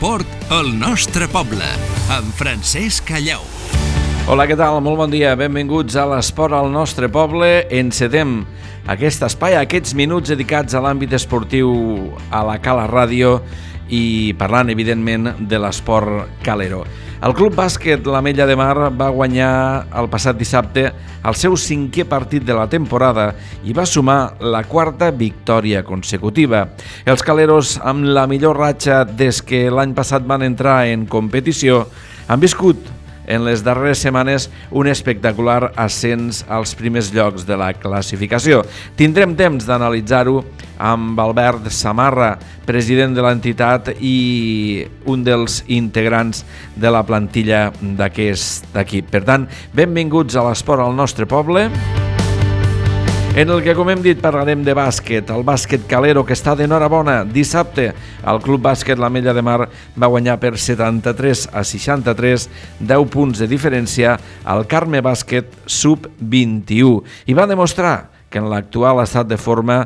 L'esport al nostre poble, amb Francesc Callau. Hola, què tal? Molt bon dia. Benvinguts a l'Esport al nostre poble. Encedem aquest espai, aquests minuts dedicats a l'àmbit esportiu a la Cala Ràdio i parlant, evidentment, de l'esport calero. El Club Bàsquet l'Ametlla de Mar va guanyar el passat dissabte el seu 5è partit de la temporada i va sumar la 4a victòria consecutiva. Els caleros, amb la millor ratxa des que l'any passat van entrar en competició, han viscut en les darreres setmanes un espectacular ascens als primers llocs de la classificació. Tindrem temps d'analitzar-ho amb Albert Samarra, president de l'entitat i un dels integrants de la plantilla d'aquest equip. Per tant, benvinguts a l'esport al nostre poble, en el que, com hem dit, parlarem de bàsquet, el bàsquet calero, que està d'enhorabona. Dissabte, el Club Bàsquet l'Ametlla de Mar va guanyar per 73-63, 10 punts de diferència al Carme Bàsquet Sub-21 i va demostrar que en l'actual estat de forma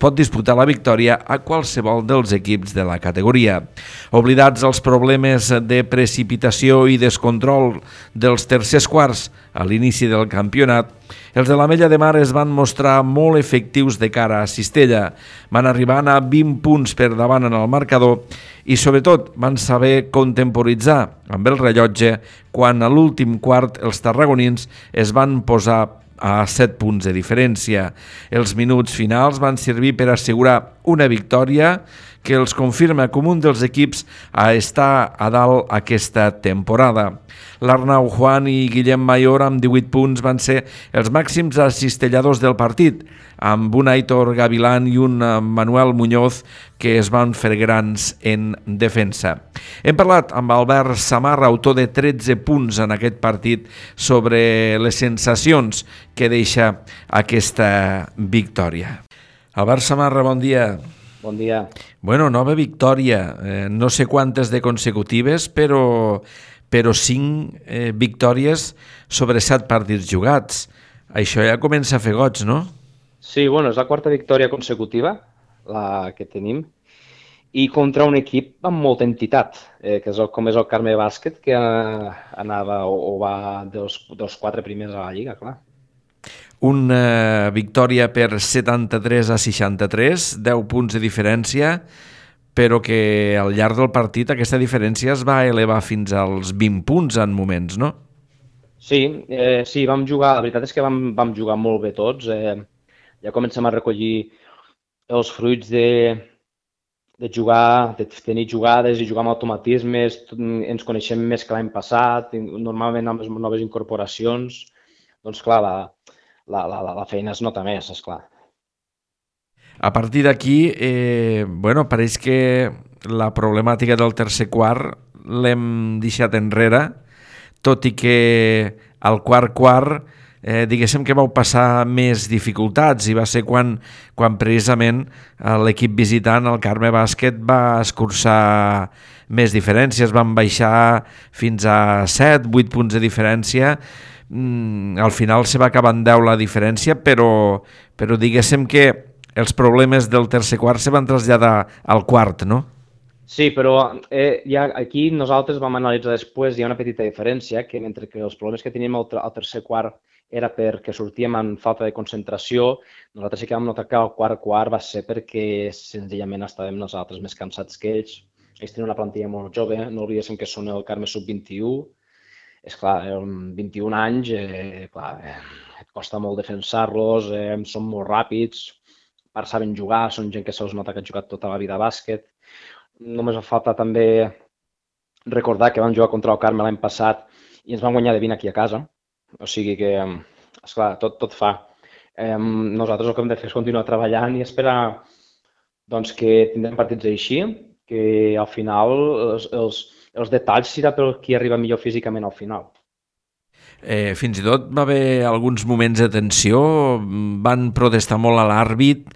pot disputar la victòria a qualsevol dels equips de la categoria. Oblidats els problemes de precipitació i descontrol dels tercers quarts a l'inici del campionat, els de l'Ametlla de Mar es van mostrar molt efectius de cara a Cistella. Van arribar a anar 20 punts per davant en el marcador i, sobretot, van saber contemporitzar amb el rellotge quan a l'últim quart els tarragonins es van posar a 7 punts de diferència. Els minuts finals van servir per assegurar una victòria que els confirma com un dels equips a estar a dalt aquesta temporada. L'Arnau Juan i Guillem Mayor amb 18 punts van ser els màxims acistelladors del partit, amb un Aitor Gavilán i un Manuel Muñoz que es van fer grans en defensa. Hem parlat amb Albert Samarra, autor de 13 punts en aquest partit, sobre les sensacions que deixa aquesta victòria. Albert Samarra, bon dia. Bon dia. Bueno, nova victòria, no sé quantes de consecutives, però 5 victòries sobre 7 partits jugats. Això ja comença a fer goig, no? Sí, bueno, és la 4a victòria consecutiva, la que tenim, i contra un equip amb molta entitat, que és com és el Carme Bàsquet, que anava o va dels 4 primers a la Lliga, clar. Una victòria per 73-63, 10 punts de diferència, però que al llarg del partit aquesta diferència es va elevar fins als 20 punts en moments, no? Sí, vam jugar, la veritat és que vam jugar molt bé tots. Ja comencem a recollir els fruits de jugar, de tenir jugades i jugar amb automatismes, ens coneixem més que l'any passat, normalment amb les noves incorporacions, doncs clar, la feina es nota més, esclar. A partir d'aquí, pareix que la problemàtica del tercer quart l'hem deixat enrere, tot i que al quart, diguéssim que vau passar més dificultats i va ser quan precisament l'equip visitant, el Carme Bàsquet, va escurçar més diferències, van baixar fins a 7-8 punts de diferència. Al final se va acabar en 10 la diferència, però diguéssim que els problemes del tercer quart se van traslladar al quart, no? Sí, però ja aquí nosaltres vam analitzar després, hi ha una petita diferència, que mentre que els problemes que teníem al tercer quart era perquè sortíem en falta de concentració, nosaltres sí que vam notar que el quart va ser perquè senzillament estàvem nosaltres més cansats que ells. Ells tenen una plantilla molt jove, no oblidéssim que són el Carme Sub-21. És clar, amb 21 anys, et costa molt defensar-los, són molt ràpids, a part saben jugar, són gent que se'ls nota que han jugat tota la vida a bàsquet. Només fa falta també recordar que vam jugar contra el Carme l'any passat i ens van guanyar de 20 aquí a casa. O sigui que, esclar, tot fa. Nosaltres el que hem de fer és continuar treballant i esperar doncs, que tindrem partits així, que al final els detalls serà per qui arriba millor físicament al final. Fins i tot va haver alguns moments de tensió, van protestar molt a l'àrbit,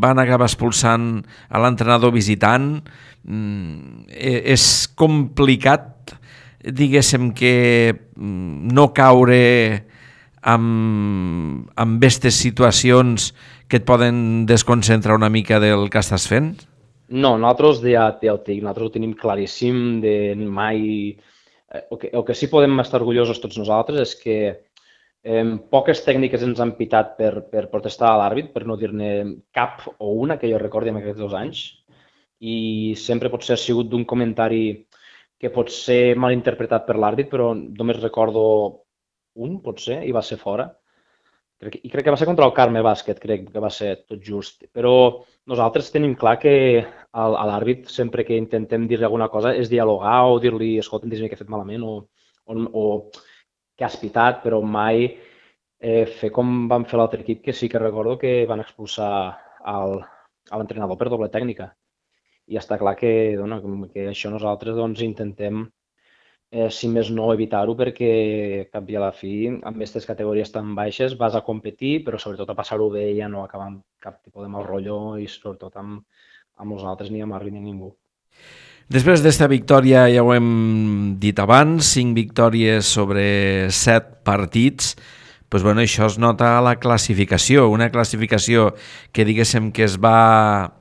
van acabar expulsant a l'entrenador visitant. És complicat, diguéssim, que no caure amb aquestes situacions que et poden desconcentrar una mica del que estàs fent? No, nosaltres ja ho dic, nosaltres ho tenim claríssim de mai... El que sí podem estar orgullosos tots nosaltres és que poques tècniques ens han pitat per protestar a l'àrbit, per no dir-ne cap o una que jo recordi en aquests 2 anys, i sempre potser ha sigut d'un comentari que pot ser mal interpretat per l'àrbit, però només recordo un, potser, i va ser fora. Crec que va ser contra el Carme Bàsquet, crec que va ser tot just. Però nosaltres tenim clar que a l'àrbit, sempre que intentem dir-li alguna cosa, és dialogar o dir-li, escolta, dis-me què he fet malament o que has pitat, però mai fer com vam fer l'altre equip, que sí que recordo que van expulsar a l'entrenador per doble tècnica. I està clar que, que això nosaltres intentem, si més no, evitar-ho, perquè cap i a la fi, amb aquestes categories tan baixes, vas a competir, però sobretot a passar-ho bé i a no acabar amb cap tipus de mal rotllo i sobretot amb els altres ni amb Arri ni ningú. Després d'esta victòria, ja ho hem dit abans, 5 victòries sobre 7 partits, doncs, bueno, això es nota a la classificació, una classificació que diguéssim que es va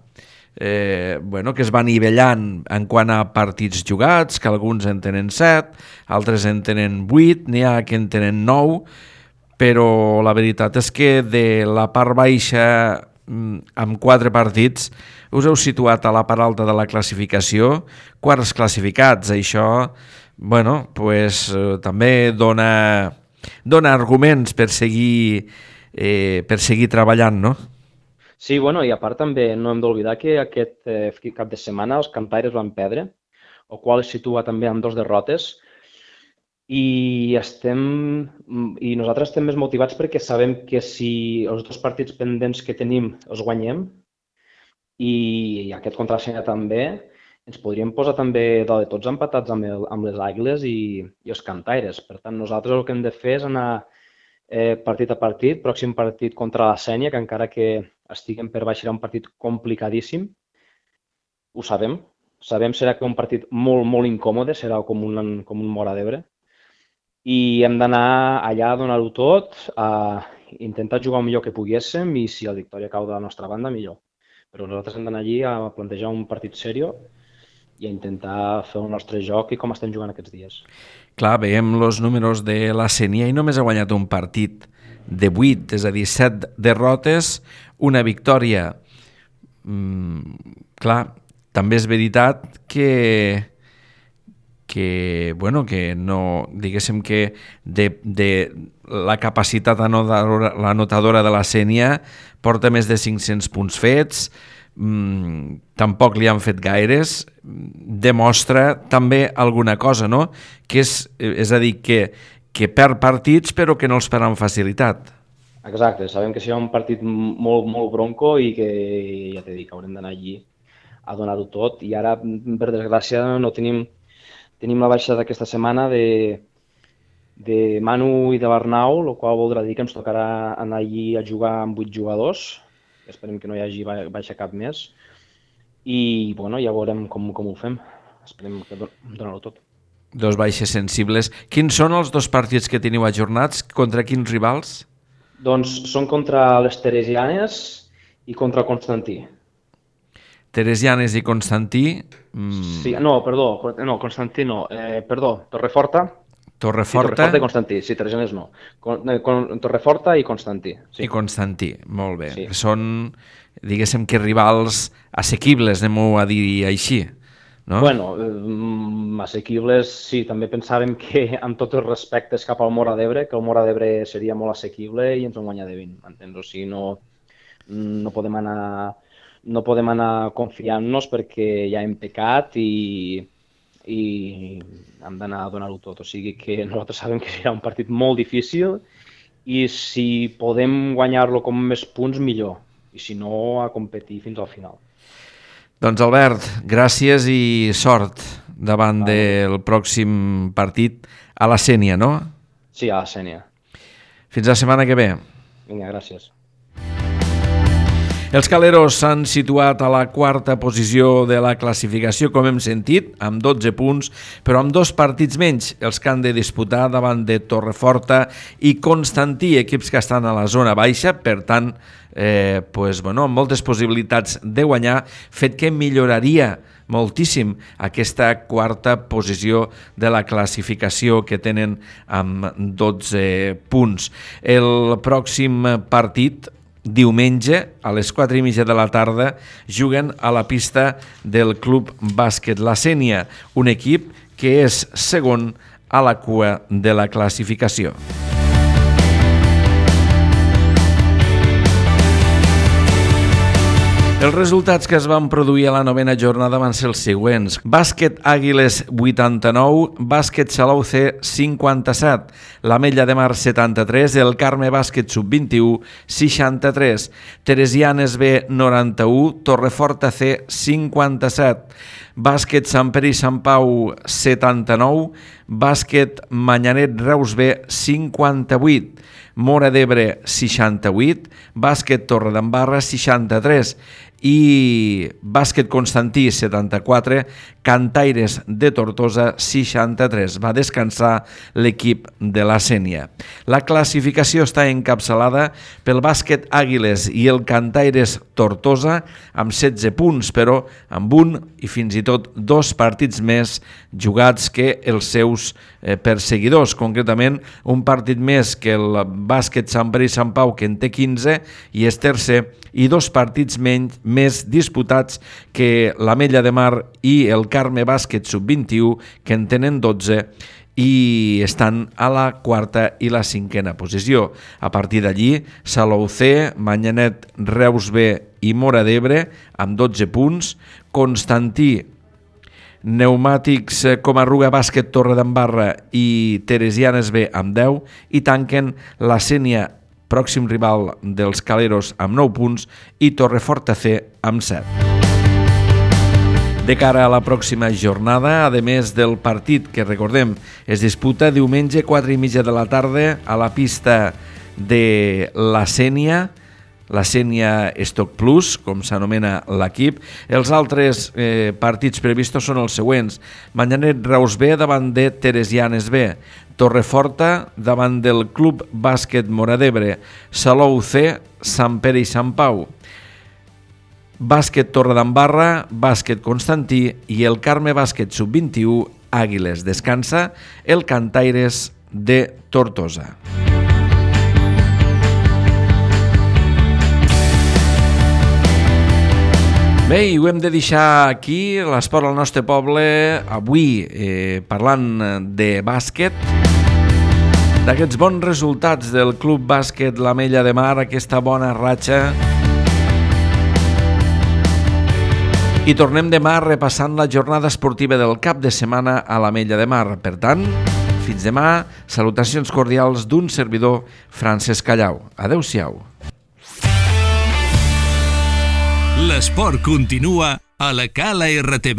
que es va nivellant en quant a partits jugats, que alguns en tenen 7, altres en tenen 8, n'hi ha que en tenen 9, però la veritat és que de la part baixa amb 4 partits us heu situat a la part alta de la classificació, quarts classificats. Això també dona arguments per seguir treballant, no? Sí, i a part també no hem d'oblidar que aquest cap de setmana els cantaires van perdre, el qual es situa també amb 2 derrotes, i nosaltres estem més motivats perquè sabem que si els 2 partits pendents que tenim els guanyem, i aquest contra la Senya també, ens podríem posar també dalt de tots empatats amb les Àguiles i els cantaires. Per tant, nosaltres el que hem de fer és anar partit a partit, pròxim partit contra la Sénia, que encara que estiguem per baix serà un partit complicadíssim, ho sabem. Serà que un partit molt, molt incòmode, serà com un Móra d'Ebre, i hem d'anar allà a donar-ho tot, a intentar jugar el millor que poguéssim i si la victòria cau de la nostra banda, millor. Però nosaltres hem d'anar allí a plantejar un partit seriós i a intentar fer el nostre joc i com estem jugant aquests dies. Clar, veiem els números de la Sénia i només ha guanyat un partit de 8, és a dir, 7 derrotes, una victòria. Clar, també és veritat que no, diguéssim que de la capacitat anotadora de la Sénia porta més de 500 punts fets, tampoc li han fet gaires, demostra també alguna cosa, no? Que és a dir, que perd partits però que no els perd amb facilitat. Exacte, sabem que serà un partit molt, molt bronco i que, ja t'he dit, que haurem d'anar allí a donar-ho tot, i ara, per desgràcia, no tenim la baixa d'aquesta setmana de Manu i de l'Arnau, el qual voldrà dir que ens tocarà anar allí a jugar amb 8 jugadors. Esperem que no hi hagi baixa cap més. I ja veurem com ho fem. Esperem que donar-ho tot. 2 baixes sensibles. Quins són els 2 partits que teniu ajornats? Contra quins rivals? Doncs són contra les Teresianes i contra Constantí. Teresianes i Constantí... Sí, Constantí no. Torreforta. Torreforta i Constantí. Sí, Teresianes no. Torreforta i Constantí. Sí. I Constantí, molt bé. Sí. Són, diguéssim que rivals assequibles, anem-ho a dir així, no? Assequibles, sí. També pensàvem que, amb tots els respectes cap al Móra d'Ebre, que el Móra d'Ebre seria molt assequible i ens vam guanyar de 20, m'entens? O sigui, no podem anar confiant-nos perquè ja hem pecat i hem d'anar a donar-ho tot. O sigui que nosaltres sabem que serà un partit molt difícil i si podem guanyar-lo com més punts, millor. I si no, a competir fins al final. Doncs Albert, gràcies i sort davant del pròxim partit a la Sénia, no? Sí, a la Sénia. Fins la setmana que ve. Vinga, gràcies. Els caleros s'han situat a la quarta posició de la classificació, com hem sentit, amb 12 punts, però amb 2 partits menys, els que han de disputar davant de Torreforta i Constantí, equips que estan a la zona baixa, per tant, amb moltes possibilitats de guanyar, fet que milloraria moltíssim aquesta quarta posició de la classificació que tenen amb 12 punts. El pròxim partit, diumenge, a les 4:30 de la tarda, juguen a la pista del Club Bàsquet La Sénia, un equip que és segon a la cua de la classificació. Els resultats que es van produir a la 9ª jornada van ser els següents. Bàsquet Àguiles 89, Bàsquet Salou C 57, l'Ametlla de Mar 73, el Carme Bàsquet Sub-21 63, Teresianes B 91, Torreforta C 57, Bàsquet Sant Pere i Sant Pau 79, Bàsquet Manyanet Reus B 58, Móra d'Ebre 68, Bàsquet Torredembarra 63 i Bàsquet Constantí 74, Cantaires de Tortosa 63. Va descansar l'equip de la Sénia. La classificació està encapçalada pel Bàsquet Àguiles i el Cantaires Tortosa amb 16 punts, però amb un i fins i tot 2 partits més jugats que els seus perseguidors, concretament un partit més que el Bàsquet Sant Pere i Sant Pau, que en té 15 i és tercer, i 2 partits més disputats que l'Ametlla de Mar i el Carme Bàsquet Sub-21, que en tenen 12 i estan a la 4ª i la 5ª posició. A partir d'allí, Salou C, Manyanet Reus B i Móra d'Ebre amb 12 punts, Constantí, Pneumàtics Comarruga Bàsquet Torredembarra i Teresianes B amb 10 i tanquen la Sénia, pròxim rival dels caleros, amb 9 punts i Torreforta C amb 7. De cara a la pròxima jornada, a més del partit que, recordem, es disputa diumenge 4:30 de la tarda a la pista de la Sénia, la Sénia Stock Plus, com s'anomena l'equip. Els altres partits previstos són els següents. Manyanet Reus B davant de Teresianes B, Torreforta davant del Club Bàsquet Móra d'Ebre, Salou C, Sant Pere i Sant Pau, Bàsquet Torredembarra, Bàsquet Constantí i el Carme Bàsquet Sub-21 Àguiles. Descansa el Cantaires de Tortosa. Bé, i ho hem de deixar aquí, l'esport al nostre poble, avui parlant de bàsquet, d'aquests bons resultats del Club Bàsquet l'Ametlla de Mar, aquesta bona ratxa. I tornem demà repassant la jornada esportiva del cap de setmana a l'Ametlla de Mar. Per tant, fins demà, salutacions cordials d'un servidor, Francesc Callau. Adéu-siau. L'esport continua a la calartv.cat.